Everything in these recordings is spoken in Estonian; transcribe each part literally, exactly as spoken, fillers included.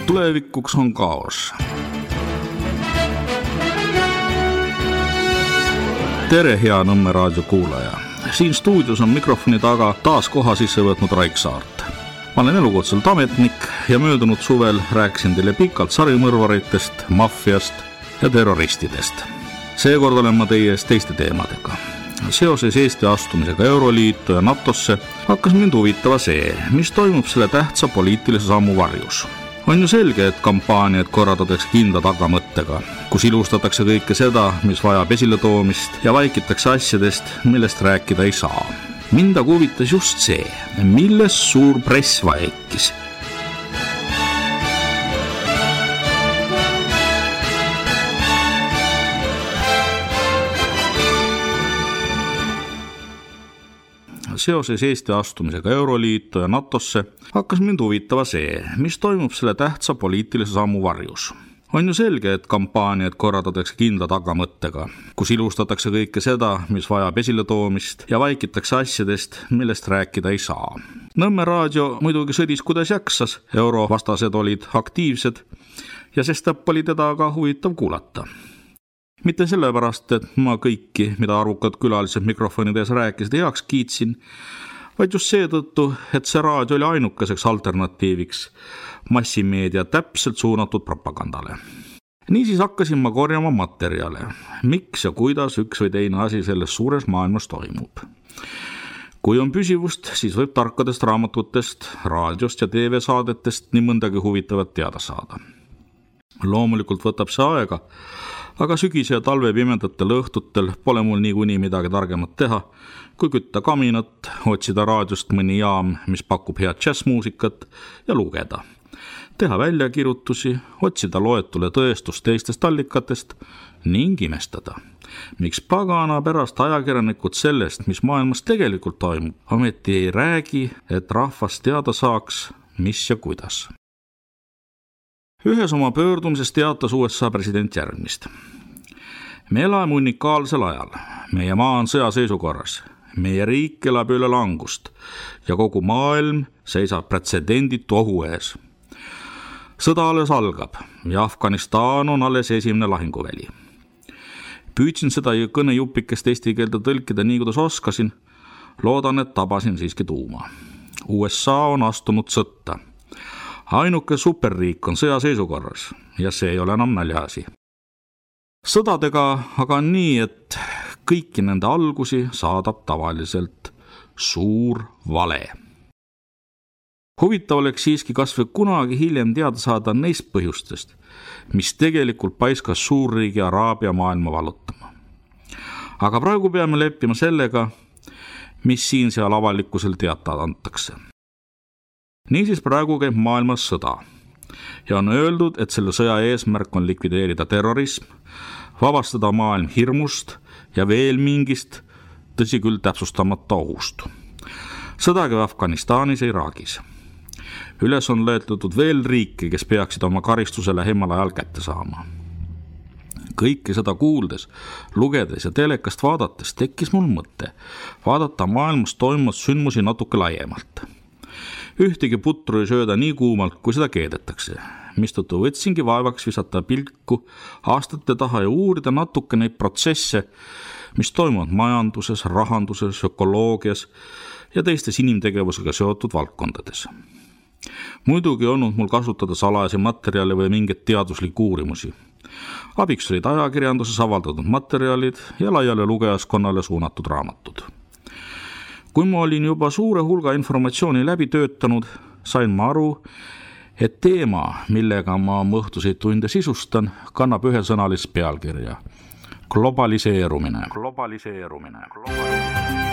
Tulevikuks on kaos. Tere, hea Nõmme raadio kuulaja. Siin stuudios on mikrofoni taga taas koha sisse võtnud Raik Saart. Ma olen elukutselt ametnik ja möödunud suvel rääkisin teile pikalt sarimõrvaritest, maffiast ja terroristidest. Seekord olen ma teie ees teiste teemadega. Seoses Eesti astumisega Euroliitu ja NATOsse hakkas mind huvitava see, mis toimub selle tähtsa poliitilise sammu varjus. On ju selge, et kampaaniad korraldatakse kindla tagamõttega, kus ilustatakse kõike seda, mis vajab esiletoomist ja vaikitakse asjadest, millest rääkida ei saa. Mind aga huvitas just see, milles suur press vaikis. Seoses Eesti astumisega Euroliitu ja NATOsse hakkas mind huvitava see, mis toimub selle tähtsa poliitilise sammu varjus. On ju selge, et kampaaniad korraldatakse kindla tagamõttega, kus ilustatakse kõike seda, mis vajab esiletoomist ja vaikitakse asjadest, millest rääkida ei saa. Nõmme raadio muidugi sõdis kuidas jaksas, eurovastased olid aktiivsed ja sestap oli teda ka huvitav kuulata. Mitte sellepärast, et ma kõiki, mida arvukad külalised mikrofonides rääkisid, heaks kiitsin, vaid just seetõttu, et see raadio oli ainukeseks alternatiiviks massimeedia täpselt suunatud propagandale. Niisiis hakkasin ma korjama materjale, miks ja kuidas üks või teine asi selles suures maailmas toimub. Kui on püsivust, siis võib tarkadest raamatutest, raadiost ja T V-saadetest nii mõndagi huvitavat teada saada. Loomulikult võtab see aega, aga sügise ja talve pimedatel õhtutel pole mul niikuinii midagi targemat teha, kui kütta kaminat, otsida raadiost mõni jaam, mis pakub head džässmuusikat ja lugeda. Teha väljakirjutusi, otsida loetule tõestust teistest allikatest ning imestada. Miks pagana pärast ajakirjanikud sellest, mis maailmas tegelikult toimub, ometi ei räägi, et rahvas teada saaks, mis ja kuidas. Ühes oma pöördumises teatas U S A president järgmist. Me elame unikaalsel ajal. Meie maa on sõjaseisukorras. Meie riik elab üle langust ja kogu maailm seisab pretsedenditu ohu ees. Sõda alles algab ja Afganistan on alles esimene lahinguväli. Püüdsin seda kõnejupikest eesti keelde tõlkida nii, kuidas oskasin. Loodan, et tabasin siiski tuuma. U S A on astunud sõtta. Ainuke superriik on sõjaseisukorras ja see ei ole enam naljaasi. Sõdadega aga on nii, et kõiki nende algusi saadab tavaliselt suur vale. Huvitav oleks siiski kas või kunagi hiljem teada saada neist põhjustest, mis tegelikult paiskas suurriigi Araabia maailma valutama. Aga praegu peame leppima sellega, mis siin seal avalikkusel teatada antakse. Niisiis praegu käib maailmas sõda ja on öeldud, et selle sõja eesmärk on likvideerida terrorism, vabastada maailm hirmust ja veel mingist, tõsi küll täpsustamata ohust. Sõda käib Afganistanis ja Iraagis. Üles on löötletud veel riike, kes peaksid oma karistuse lähemal ajal kätte saama. Kõike seda kuuldes, lugedes ja telekast vaadates tekkis mul mõte vaadata maailmas toimuvat sündmusi natuke laiemalt. Ühtegi putru ei sööda nii kuumalt, kui seda keedetakse, mistõttu võtsingi vaevaks visata pilku aastate taha ja uurida natuke neid protsesse, mis toimuvad majanduses, rahanduses, ökoloogias ja teistes inimtegevusega seotud valdkondades. Muidugi olnud mul kasutada salajasi materjale või mingeid teaduslikke uurimusi. Abiks olid ajakirjanduses avaldatud materjalid ja laiale lugejaskonnale suunatud raamatud. Kui ma olin juba suure hulga informatsiooni läbi töötanud, sain ma aru, et teema, millega ma õhtuseid tunde sisustan, kannab ühesõnalist pealkirja. Globaliseerumine. Globaliseerumine. Globaliseerumine.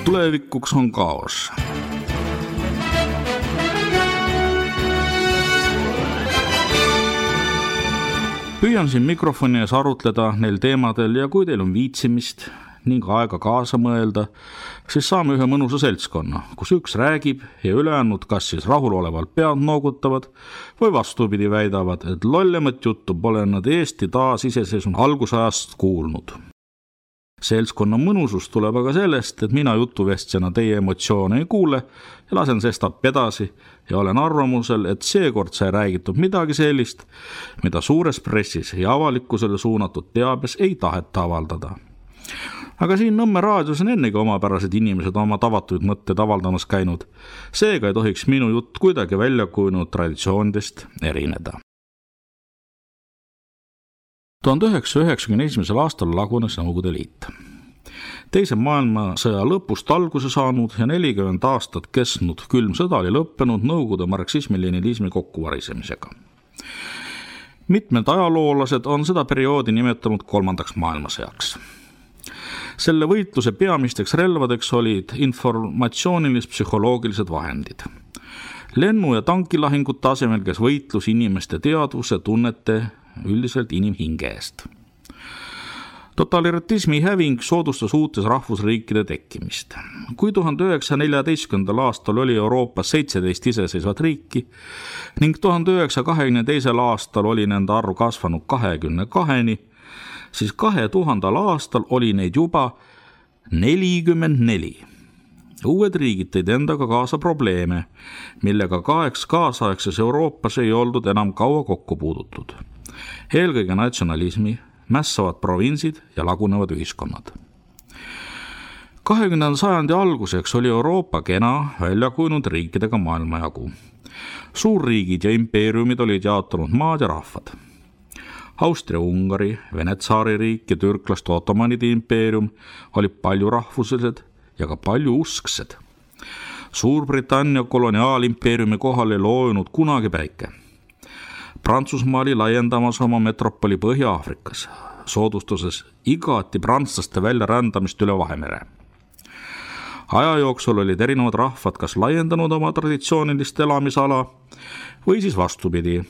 Tulevikuks on kaos. Püüan siin mikrofoni ees arutleda neil teemadel ja kui teil on viitsimist ning aega kaasa mõelda, siis saame ühe mõnusa seltskonna, kus üks räägib ja ülejäänud kas siis rahulolevalt pead noogutavad või vastupidi väidavad, et lollemat juttu pole nad Eesti taasiseseisvunud algusajast kuulnud. Seltskonna mõnusus tuleb aga sellest, et mina jutuvestjana teie emotsioone ei kuule ja lasen sestap edasi ja olen arvamusel, et seekord sai räägitud midagi sellist, mida suures pressis ja avalikkusele suunatud teabes ei taheta avaldada. Aga siin Nõmme raadios on ennegi omapärased inimesed oma tavatuid mõtteid avaldamas käinud, seega ei tohiks minu jutt kuidagi välja kujunenud traditsioonidest erineda. tuhande üheksasaja üheksakümne esimesel aastal lagunes Nõukogude Liit. Teise maailmasõja lõpust alguse saanud ja nelikümmend aastat kestnud külm sõda oli lõppenud Nõukogude marksismi-leninismi kokkuvarisemisega. Mitmed ajaloolased on seda perioodi nimetanud kolmandaks maailmasõjaks. Selle võitluse peamisteks relvadeks olid informatsioonilis-psühholoogilised vahendid. Lennu- ja tankilahingute asemel käis võitlus inimeste teadvuse, tunnete, üldiselt inimhinge eest. Totalitarismi häving soodustas uutes rahvusriikide tekkimist. Kui tuhande üheksasaja neljateistkümnendal aastal oli Euroopas seitseteist iseseisvat riiki ning tuhande üheksasaja kahekümne teisel aastal oli nende arv kasvanud kahekümne kaheni, siis kahe tuhandel aastal oli neid juba nelikümmend neli. Uued riigid tõid endaga kaasa probleeme, millega kaheks kaasaegses Euroopas ei oldud enam kaua kokku puudutud. Eelkõige natsionalismi, mässavad provintsid ja lagunevad ühiskonnad. kahekümnenda sajandi alguseks oli Euroopa kena välja kujunenud riikidega maailmajagu. Suurriigid ja impeeriumid olid jaotunud maad ja rahvad. Austria-Ungari, Vene-Tsaari riik ja türklaste Ottomanide impeerium olid palju rahvuslised ja ka palju usksed. Suurbritannia koloniaalimpeeriumi kohal ei loojunud kunagi päike. Prantsusmaa oli laiendamas oma metropoli Põhja-Aafrikas, soodustuses igati prantslaste väljarändamist üle Vahemere. Aja jooksul olid erinevad rahvad kas laiendanud oma traditsioonilist elamisala või siis vastupidi,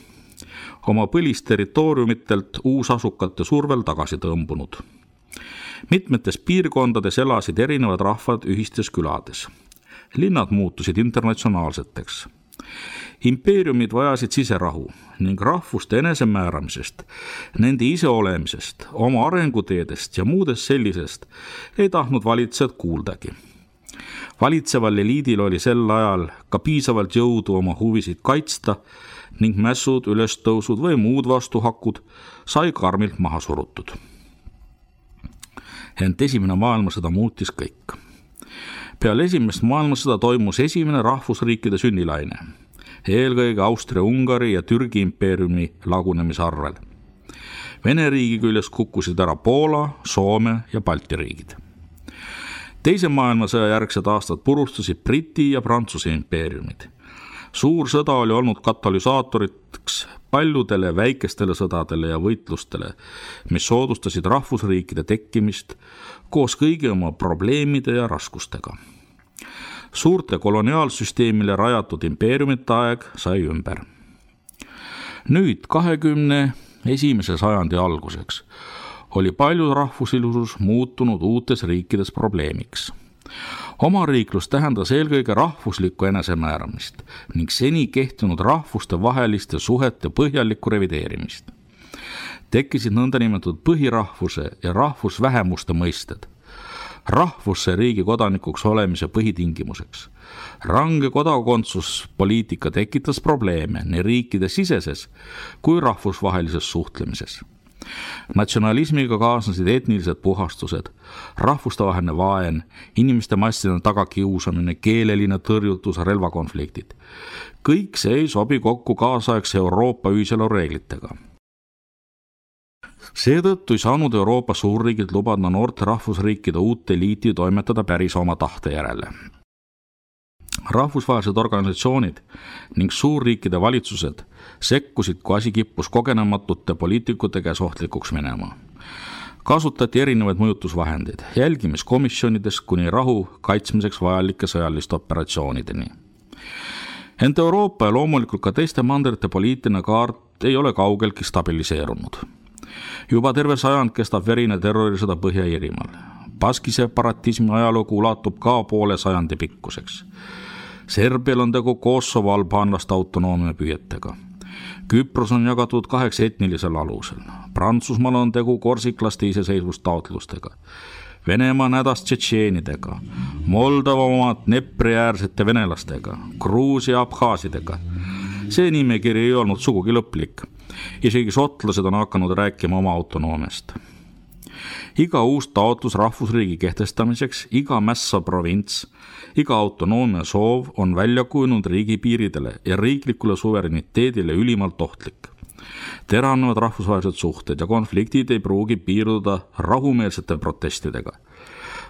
oma põlisterritooriumitelt uusasukate survel tagasi tõmbunud. Mitmetes piirkondades elasid erinevad rahvad ühistes külades. Linnad muutusid internatsionaalseteks. Impeeriumid vajasid siserahu ning rahvuste enesemääramisest, nende iseolemisest, oma arenguteedest ja muudest sellisest ei tahtnud valitsejad kuuldagi. Valitseval eliidil oli sel ajal ka piisavalt jõudu oma huvisid kaitsta ning mässud, ülestõusud või muud vastuhakud sai karmilt maha surutud. Ent esimene maailmasõda muutis kõik. Peale esimest maailmasõda toimus esimene rahvusriikide sünnilaine, eelkõige Austria-Ungari ja Türgi impeeriumi lagunemise arvel. Vene riigi küljes kukkusid ära Poola, Soome ja Balti riigid. Teise maailmasõja järgsed aastad purustasid Briti ja Prantsuse impeeriumid. Suur sõda oli olnud katalüsaatoriks paljudele väikestele sõdadele ja võitlustele, mis soodustasid rahvusriikide tekkimist koos kõigi oma probleemide ja raskustega. Suurte koloniaalsüsteemile rajatud impeeriumite aeg sai ümber. Nüüd kahekümne esimese sajandi alguseks oli palju rahvusilisus muutunud uutes riikides probleemiks. Omariiklus tähendas eelkõige rahvuslikku enesemääramist ning seni kehtinud rahvuste vaheliste suhete põhjalikku revideerimist. Tekkisid nõndanimetatud põhirahvuse ja rahvusvähemuste mõisted. Rahvusse riigi kodanikuks olemise põhitingimuseks. Range kodakondsuspoliitika tekitas probleeme nii riikide siseses kui rahvusvahelises suhtlemises. Natsionalismiga kaasnesid etnilised puhastused, rahvustevaheline vaen, inimeste masside tagakiusamine, keeleline tõrjutus, relvakonfliktid. Kõik see ei sobi kokku kaasaegse Euroopa ühiselu reeglitega. Seetõttu ei saanud Euroopa suurriigid lubada noorte rahvusriikide uut eliiti toimetada päris oma tahte järele. Rahvusvahelised organisatsioonid ning suurriikide valitsused sekkusid, kui asi kippus kogenematute poliitikute käes ohtlikuks minema. Kasutati erinevaid mõjutusvahendeid, jälgimiskomisjonidest kuni rahu kaitsmiseks vajalike sõjaliste operatsioonideni. Ent Euroopa ja loomulikult ka teiste mandrite poliitiline kaart ei ole kaugeltki stabiliseerunud. Juba terve sajand kestab verine terrorisõda Põhja-Iirimaal. Baski separatismi ajalugu ulatub ka poole sajandi pikkuseks. Serbial on tegu Kosovo albaanlaste autonoomia püüetega. Küpros on jagatud kaheks etnilisel alusel. Prantsusmaal on tegu korsiklaste iseseisvustaotlustega. Venemaa on hädas tšetšeenidega, Moldova omad Dnepri-äärsete venelastega, Gruusia abhaasidega. See nimekiri ei olnud sugugi lõplik. Isegi šotlased on hakanud rääkima oma autonoomiast. Iga uus taotlus rahvusriigi kehtestamiseks, iga mässa provints, iga autonoomia soov on välja kujunud riigipiiridele ja riiklikule suvereniteedile ülimalt ohtlik. Teravnevad rahvusvahelised suhted ja konfliktid ei pruugi piirduda rahumeelsete protestidega.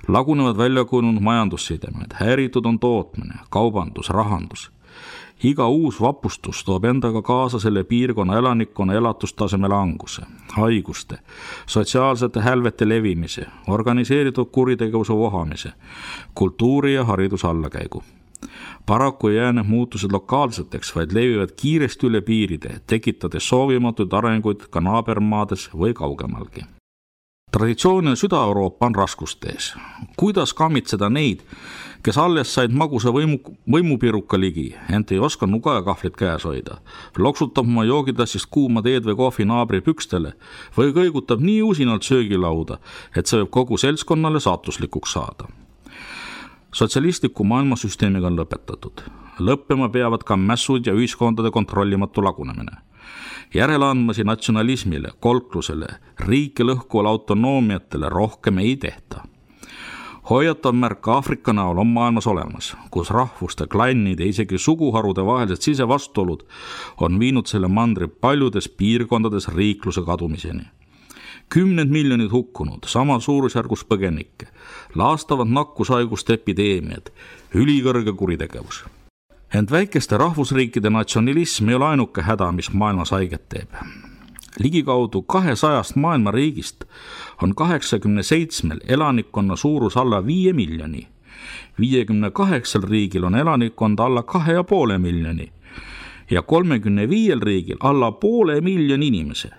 Lagunevad välja kujunud majandussidemed, häiritud on tootmine, kaubandus, rahandus. Iga uus vapustus toob endaga kaasa selle piirkonna elanikkonna elatustaseme languse, haiguste, sotsiaalsete hälvete levimise, organiseeritud kuritegevuse vohamise, kultuuri ja hariduse allakäigu. Paraku ei jää need muutused lokaalseteks, vaid levivad kiiresti üle piiride, tekitades soovimatuid arenguid ka naabermaades või kaugemalgi. Traditsiooniline Süda-Euroopa on raskustees. Kuidas kammitseda neid, kes alles said magusa võimu, võimupiruka ligi, ent ei oska nuga ja kahvlit käes hoida, loksutab oma joogitassist kuuma teed või kohvi naabri pükstele või kõigutab nii usinalt söögilauda, et see võib kogu seltskonnale saatuslikuks saada. Sotsialistliku maailmasüsteemiga on lõpetatud. Lõppema peavad ka mässud ja ühiskondade kontrollimatu lagunemine. Järeleandmasi natsionalismile, kolklusele, riiki lõhkuvale autonoomiatele rohkem ei tehta. Hoiatav märk Aafrika näol on maailmas olemas, kus rahvuste, klannide, isegi suguharude vahelised sisevastuolud on viinud selle mandri paljudes piirkondades riikluse kadumiseni. Kümned miljonid hukkunud, sama suurusjärgus põgenikke, laastavad nakkushaiguste epideemiad, ülikõrge kuritegevus. Ent väikeste rahvusriikide natsionalism ei ole ainuke häda, mis maailmas haiget teeb. Ligikaudu kahesajast maailma riigist on kaheksakümne seitsmel elanikkonna suurus alla viie miljoni. viiekümne kaheksal riigil on elanikkond alla kahe ja poole miljoni ja kolmekümne viiel riigil alla poole miljoni inimese.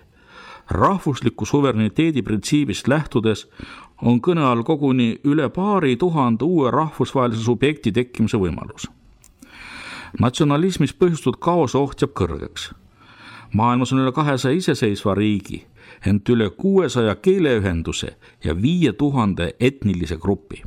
Rahvusliku suvereniteedi printsiibist lähtudes on kõne all koguni üle paari tuhande uue rahvusvahelise subjekti tekkimise võimalus. Natsionalismis põhjustatud kaose oht jääb kõrgeks. Maailmas on üle kahesaja iseseisva riigi, ent üle kuuesaja keeleühenduse ja viie tuhande etnilise grupi.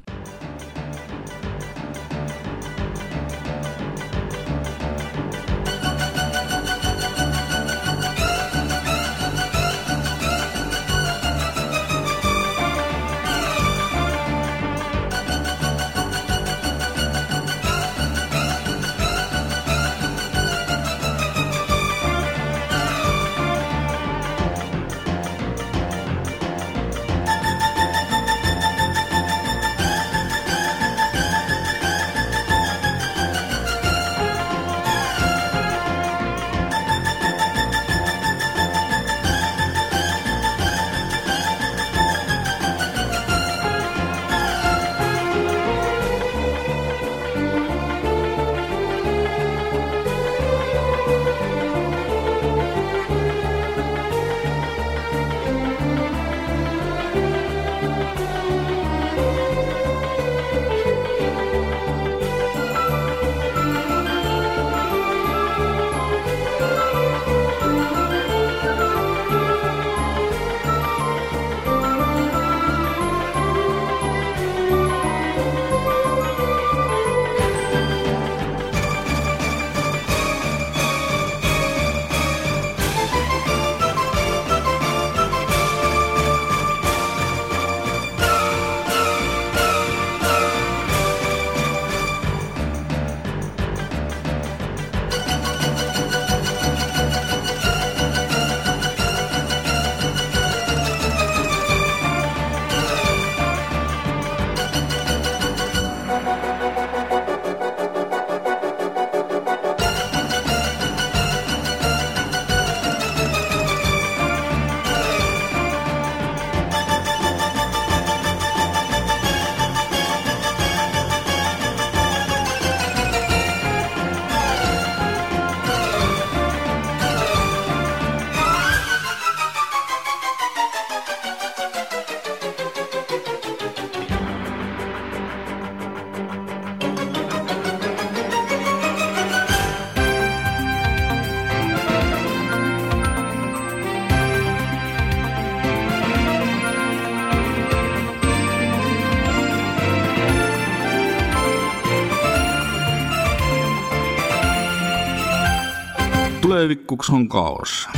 tulevikuks on kaos.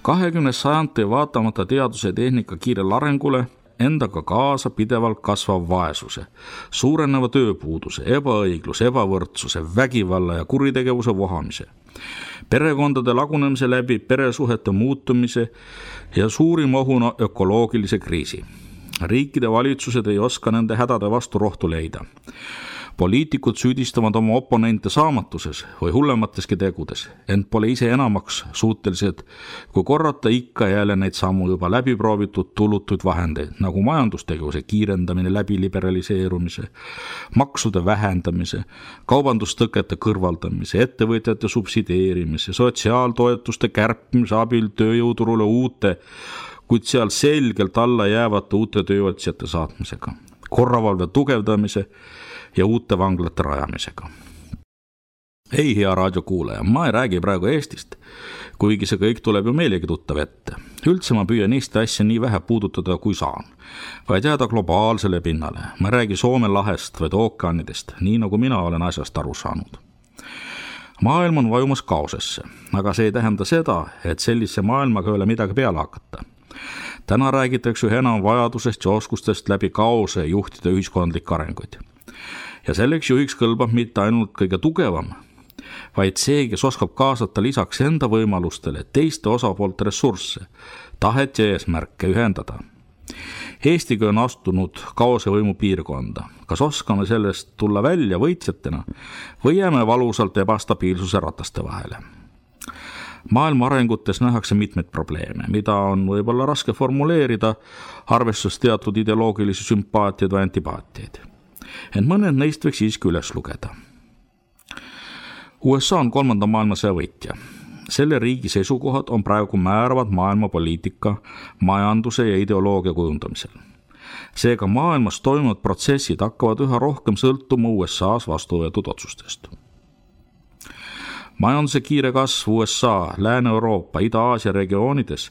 kahekümnes sajand tõi vaatamata teaduse ja tehnika kiirel arengule endaga kaasa pidevalt kasvav vaesuse, suureneva tööpuuduse, ebaõigluse, ebavõrdsuse, vägivalla ja kuritegevuse vohamise, perekondade lagunemise läbi peresuhete muutumise ja suurim ohuna ökoloogilise kriisi. Riikide valitsused ei oska nende hädade vastu rohtu leida. Poliitikud süüdistavad oma oponente saamatuses või hullemateski tegudes, ent pole ise enamaks suutelised, kui korrata ikka jälle neid sammu juba läbiproovitud tulutuid vahendeid, nagu majandustegevuse kiirendamine läbi liberaliseerumise, maksude vähendamise, kaubandustõkete kõrvaldamise, ettevõtjate subsideerimise, sotsiaaltoetuste kärpimise abil tööjõuturule uute, kuid seal selgelt alla jäävate uute tööotsijate saatmisega, korravalve tugevdamise ja uute vanglate rajamisega. Ei, hea raadiokuulaja, ma ei räägi praegu Eestist, kuigi see kõik tuleb ju meilegi tuttav ette. Üldse ma püüan Eesti asja nii vähe puudutada, kui saan, vaid jääda globaalsele pinnale. Ma ei räägi Soome lahest, vaid ookeanidest, nii nagu mina olen asjast aru saanud. Maailm on vajumas kaosesse, aga see ei tähenda seda, et sellise maailmaga ei ole midagi peale hakata. Täna räägitakse üha enam vajadusest ja oskustest läbi kaose juhtida ühiskondlik arenguid. Ja selleks juhiks kõlbab mitte ainult kõige tugevam, vaid see, kes oskab kaasata lisaks enda võimalustele teiste osapoolte ressursse, tahet ja eesmärke ühendada. Eestiga on astunud kaosevõimu piirkonda. Kas oskame sellest tulla välja võitjatena või jääme valusalt ebastabiilsuse rataste vahele? Maailma arengutes nähakse mitmeid probleeme, mida on võib-olla raske formuleerida, arvestades teatud ideoloogilisi sümpaatiaid või antipaatiaid. Ent mõned neist võiks siiski üles lugeda. U S A on kolmanda maailmasõja võitja. Selle riigi seisukohad on praegu määravad maailma poliitika, majanduse ja ideoloogia kujundamisel. Seega maailmas toimuvad protsessid hakkavad üha rohkem sõltuma U S A-s vastu võetud otsustest. Majanduse kiire kasv U S A, Lääne-Euroopa, Ida-Aasia regioonides,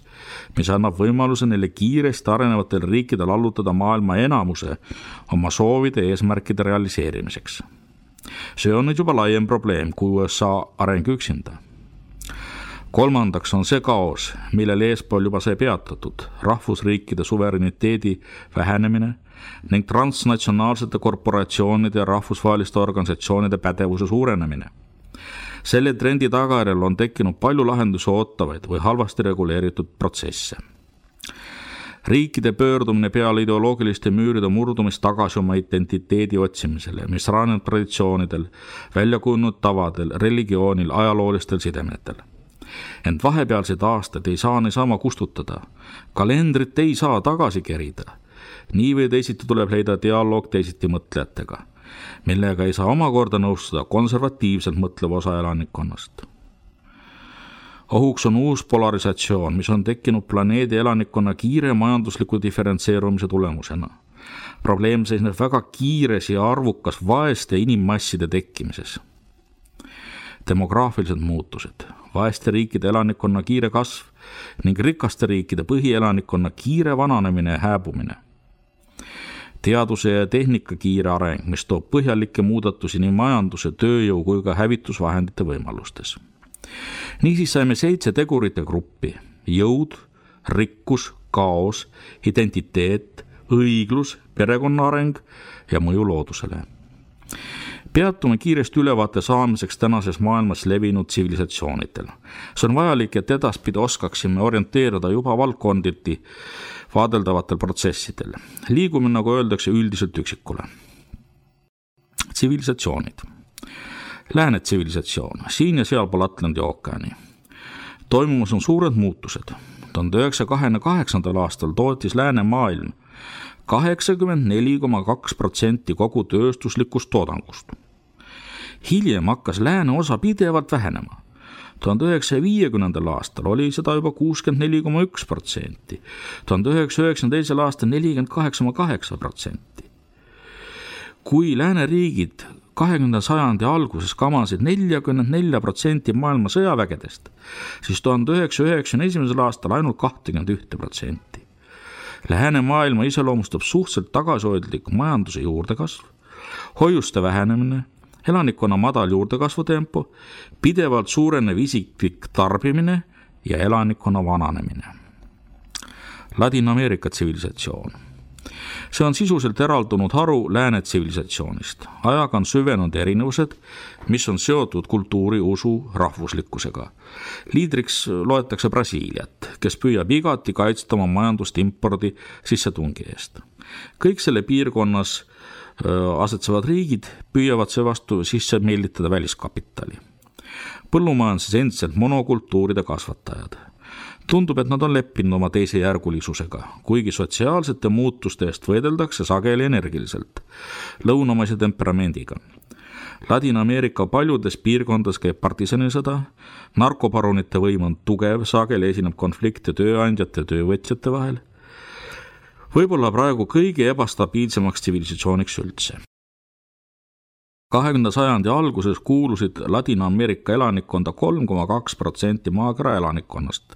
mis annab võimaluse neile kiiresti arenevatel riikidel allutada maailma enamuse oma soovide ja eesmärkide realiseerimiseks. See on nüüd juba laiem probleem kui U S A areng üksinda. Kolmandaks on see kaos, millel eespool juba sai peatatud, rahvusriikide suvereniteedi vähenemine ning transnatsionaalsete korporatsioonide ja rahvusvaheliste organisatsioonide pädevuse suurenemine. Selle trendi tagajärjel on tekkinud palju lahendusi ootavaid või halvasti reguleeritud protsesse. Riikide pöördumine peale ideoloogiliste müüride murdumist tagasi oma identiteedi otsimisele, mis rajaneb traditsioonidel, väljakujunenud tavadel, religioonil, ajaloolistel sidemetel. Ent vahepealseid aastaid ei saa niisama kustutada. Kalendrit ei saa tagasi kerida. Nii või teisiti tuleb leida dialoog teisiti mõtlejatega, millega ei saa omakorda nõustuda konservatiivselt mõtleva osa elanikkonnast. Ohuks on uus polarisatsioon, mis on tekkinud planeedi elanikkonna kiire majandusliku diferentseerumise tulemusena. Probleem seisneb väga kiires ja arvukas vaeste inimmasside tekkimises. Demograafilised muutused, vaeste riikide elanikkonna kiire kasv ning rikaste riikide põhielanikkonna kiire vananemine ja hääbumine. Teaduse ja tehnika kiire areng, mis toob põhjalikke muudatusi nii majanduse, tööjõu kui ka hävitusvahendite võimalustes. Niisiis saime seitse tegurite gruppi: jõud, rikkus, kaos, identiteet, õiglus, perekonna areng ja mõju loodusele. Peatume kiiresti ülevaate saamiseks tänases maailmas levinud tsivilisatsioonidel. See on vajalik, et edaspidi oskaksime orienteerida juba valdkonditi vaadeldavatel protsessidel. Liigume, nagu öeldakse, üldiselt üksikule. Tsivilisatsioonid. Lääne tsivilisatsioon, siin ja seal pool Atlandi ookeani. Toimumas on suured muutused. tuhande üheksasaja kahekümne kaheksandal aastal tootis lääne maailm kaheksakümmend neli koma kaks protsenti kogu tööstuslikust toodangust. Hiljem hakkas lääne osa pidevalt vähenema. tuhande üheksasaja viiekümnendal aastal oli seda juba kuuskümmend neli koma üks protsenti, tuhande üheksasaja üheksakümne teisel aastal nelikümmend kaheksa koma kaheksa protsenti. Kui lääne riigid kahekümnenda sajandi alguses kamasid nelikümmend neli protsenti maailma sõjavägedest, siis tuhande üheksasaja üheksakümne esimesel aastal ainult kakskümmend üks protsenti. Läänemaailma iseloomustab suhteliselt tagasihoidlik majanduse juurdekasv, hoiuste vähenemine, elanikkonna madal juurdekasvutempo, pidevalt suurenev isiklik tarbimine ja elanikkonna vananemine. Ladina-Ameerika tsivilisatsioon. See on sisuselt eraldunud haru lääne tsivilisatsioonist. Ajaga on süvenud erinevused, mis on seotud kultuuri, usu, rahvuslikkusega. Liidriks loetakse Brasiiliat, kes püüab igati kaitsta oma majandust impordi sissetungi eest. Kõik selle piirkonnas asetsevad riigid püüavad seevastu sisse meelitada väliskapitali. Põllumajanduses endiselt monokultuuride kasvatajad. Tundub, et nad on leppinud oma teise järgulisusega, kuigi sotsiaalsete muutuste eest võideldakse sageli energiliselt, lõunamaise temperamendiga. Ladina-Ameerika paljudes piirkondades käib partisanisõda, narkoparunite võim on tugev, sageli esineb konflikte tööandjate ja töövõtjate vahel. Võib-olla praegu kõige ebastabiilsemaks tsivilisatsiooniks üldse. kahekümnenda sajandi alguses kuulusid Ladina-Ameerika elanikkonda kolm koma kaks protsenti maakera elanikkonnast.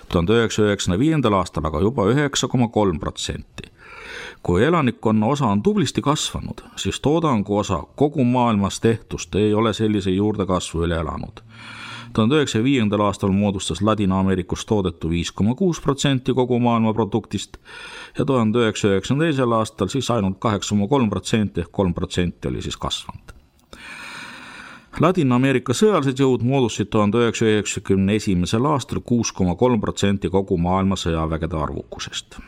tuhande üheksasaja üheksakümne viiendal aastal aga juba üheksa koma kolm protsenti. Kui elanikkonna osa on tublisti kasvanud, siis toodangu osa kogu maailmas tehtust ei ole sellise juurdekasvu üle elanud. tuhande üheksasaja viiendal aastal moodustas Ladina-Ameerikus toodetu viis koma kuus protsenti kogu maailma produktist ja tuhande üheksasaja üheksakümne teisel aastal siis ainult kaheksa koma kolm protsenti ehk kolm protsenti oli siis kasvanud. Ladina-Ameerika sõjalised jõud moodustasid tuhande üheksasaja üheksakümne esimesel aastal kuus koma kolm protsenti kogu maailma sõjavägede arvukusest.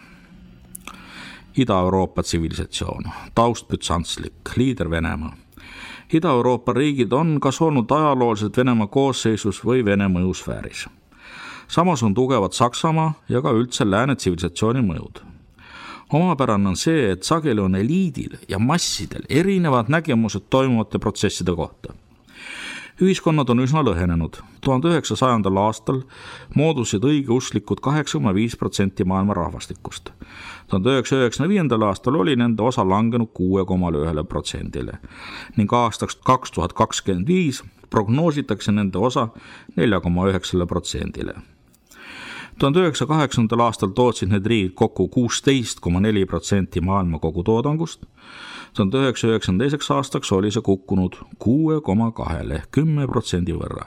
Ida-Euroopa tsivilisatsioon, taust bütsantslik, liider Venemaa. Ida-Euroopa riigid on kas olnud ajalooliselt Venemaa koosseisus või Vene mõjusfääris. Samas on tugevad Saksamaa ja ka üldse lääne tsivilisatsiooni mõjud. Omapärane on see, et sageli on eliidil ja massidel erinevad nägemused toimuvate protsesside kohta. Ühiskonnad on üsna lõhenenud. tuhande üheksasajandal aastal moodusid õigeusklikud kaheksa koma viis protsenti maailma rahvastikust. tuhande üheksasaja üheksakümne viiendal aastal oli nende osa langenud kuus koma üks protsendile ning aastaks kaks tuhat kakskümmend viis prognoositakse nende osa neli koma üheksa protsendile. tuhande üheksasaja kaheksakümnendal aastal tootsid need riigid kokku kuusteist koma neli protsenti maailma kogutoodangust. tuhande üheksasaja üheksakümne teiseks aastaks oli see kukkunud kuus koma kaks ehk kümme protsendi võrra.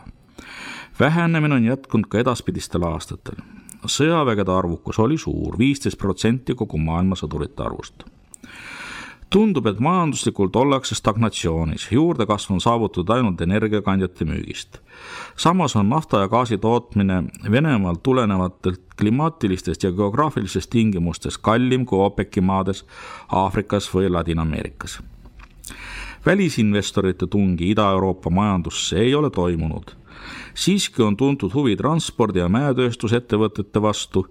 Vähenemine on jätkunud ka edaspidistel aastatel. Sõjavägede arvukus oli suur, viisteist protsenti kogu maailma sõdurite arvust. Tundub, et majanduslikult ollakse stagnatsioonis, juurdekasv on saavutatud ainult energiakandjate müügist. Samas on nafta ja gaasi tootmine Venemaalt tulenevatelt klimaatilistest ja geograafilistest tingimustest kallim kui OPEC-i maades, Aafrikas või Ladina-Ameerikas. Välisinvestorite tungi Ida-Euroopa majandusse ei ole toimunud. Siiski on tuntud huvi transpordi- ja mäetööstusettevõtete vastu,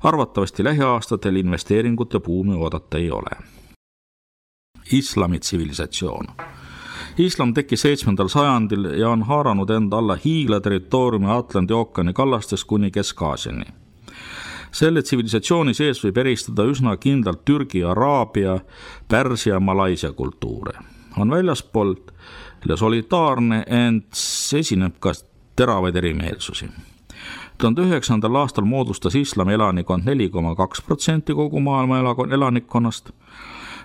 arvatavasti lähiaastatel investeeringute buumi oodata ei ole. Islami tsivilisatsioon. Islam tekkis seitsmendal sajandil ja on haaranud enda alla hiigla territooriumi Atlandi ookeani kallastest kuni Kesk-Aasiani. Selle tsivilisatsiooni sees võib eristada üsna kindlalt Türgi, Araabia, Pärsia ja Malaisia kultuure. On väljaspoolt solidaarne, ent esineb ka teravaid erimeelsusi. tuhande üheksandal aastal moodustas islami elanikkond neli koma kaks protsenti kogu maailma elanikkonnast.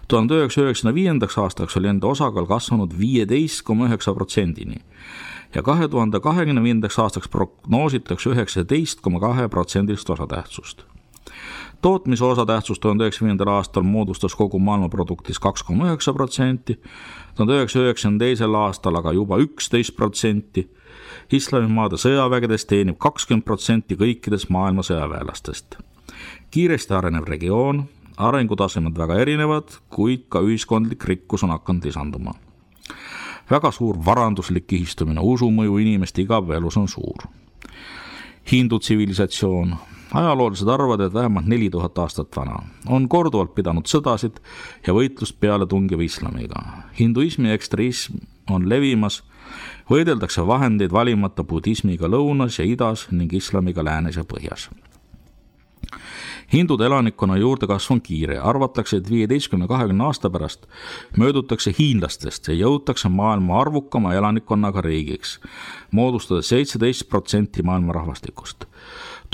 tuhande üheksasaja üheksakümne viiendaks aastaks oli enda osakaal kasvanud viisteist koma üheksa protsendini ja kahe tuhande kahekümne viiendaks aastaks prognoositakse üheksateist koma kaks protsendilist osatähtsust. Tootmise osatähtsus tuhande üheksasaja viiendal aastal moodustas kogu maailma produktis kaks koma üheksa protsenti, tuhande üheksasaja üheksakümne teisel aastal aga juba üksteist protsenti. Islamimaade sõjavägedes teenib kakskümmend protsenti kõikidest maailma sõjaväelastest. Kiiresti arenev regioon, arengutasemed väga erinevad, kuid ka ühiskondlik rikkus on hakanud lisanduma. Väga suur varanduslik kihistumine, usumõju inimeste igapäevaelus on suur. Hindu tsivilisatsioon. Ajaloolised arvavad, et vähemalt neli tuhat aastat vana. On korduvalt pidanud sõdasid ja võitlust peale tungiva islamiga. Hinduismi ekstremism on levimas, võideldakse vahendeid valimata budismiga lõunas ja idas ning islamiga läänes ja põhjas. Hindude elanikkonna juurdekasv on kiire, arvatakse, et viieteistkümne kahekümne aasta pärast möödutakse hiinlastest ja jõutakse maailma arvukama elanikkonnaga riigiks, moodustades seitseteist protsenti maailma rahvastikust.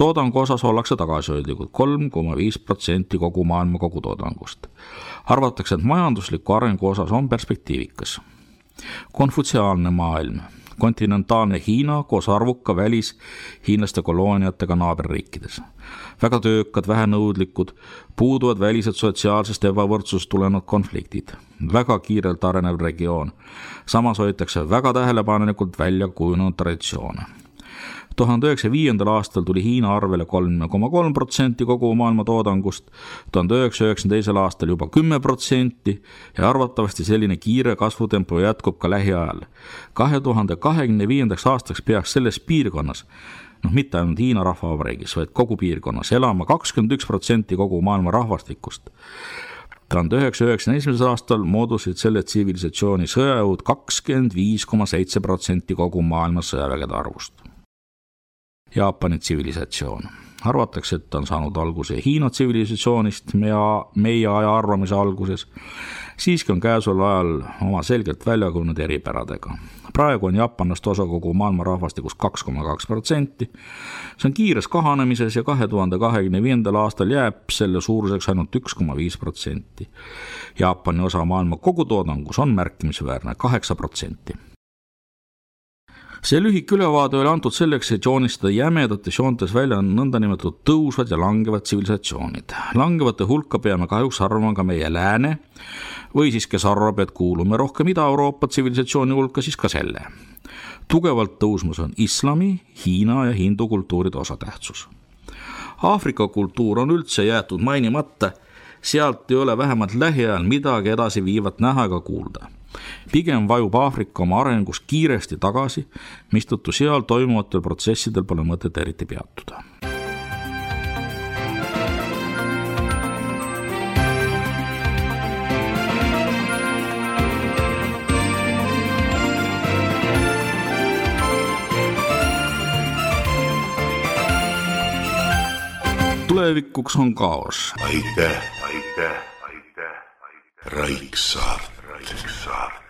Toodangu osas ollakse tagasihoidlikud kolm koma viis protsenti kogu maailma kogutoodangust. Arvatakse, et majandusliku arengu osas on perspektiivikas. Konfutsiaalne maailm, kontinentaalne Hiina koos arvuka välis hiinlaste kolooniatega naaberriikides. Väga töökad, vähenõudlikud, puuduvad välised sotsiaalsest ebavõrdsusest tulenevad konfliktid. Väga kiirelt arenev regioon. Samas hoitakse väga tähelepanelikult välja kujunenud traditsioone. tuhande üheksasaja viiendal aastal tuli Hiina arvele kolm koma kolm protsenti kogu maailma toodangust, tuhande üheksasaja üheksakümne teisel aastal juba kümme protsenti ja arvatavasti selline kiire kasvutempo jätkub ka lähiajal. kahe tuhande kahekümne viiendaks aastaks peaks selles piirkonnas, noh mitte ainult Hiina rahvavabariigis, vaid kogu piirkonnas elama kakskümmend üks protsenti kogu maailma rahvastikust. tuhande üheksasaja üheksakümne esimesel aastal moodusid selle tsivilisatsiooni sõjajõud kakskümmend viis koma seitse protsenti kogu maailma sõjavägede arvust. Jaapani tsivilisatsioon. Arvatakse, et on saanud alguse Hiina tsivilisatsioonist ja meie aja arvamise alguses. Siiski on käesoleval ajal oma selgelt välja kujunenud eripäradega. Praegu on jaapanlaste osa kogu maailma rahvastikust kaks koma kaks protsenti. See on kiires kahanemises ja kahe tuhande kahekümne viiendal aastal jääb selle suuruseks ainult üks koma viis protsenti. Jaapani osa maailma kogutoodangus on märkimisväärne kaheksa protsenti. See lühik ülevaade oli antud selleks, et joonistada jämedates joontes välja nõndanimetatud tõusvad ja langevad tsivilisatsioonid. Langevate hulka peame kahjuks arvama ka meie lääne või siis kes arvab, et kuulume rohkem Ida-Euroopa tsivilisatsiooni hulka, siis ka selle. Tugevalt tõusmus on islami, Hiina ja hindu kultuuride osatähtsus. Aafrika kultuur on üldse jäetud mainimata, sealt ei ole vähemalt lähiajal midagi edasi viivat näha ega kuulda. Pigem vajub Aafrika oma arengus kiiresti tagasi, mistõttu seal toimuvatel protsessidel pole mõtet eriti peatuda. Tulevikuks on kaos. Aitäh, aitäh, aitäh, aitäh. Raiksaart. Raiksaart.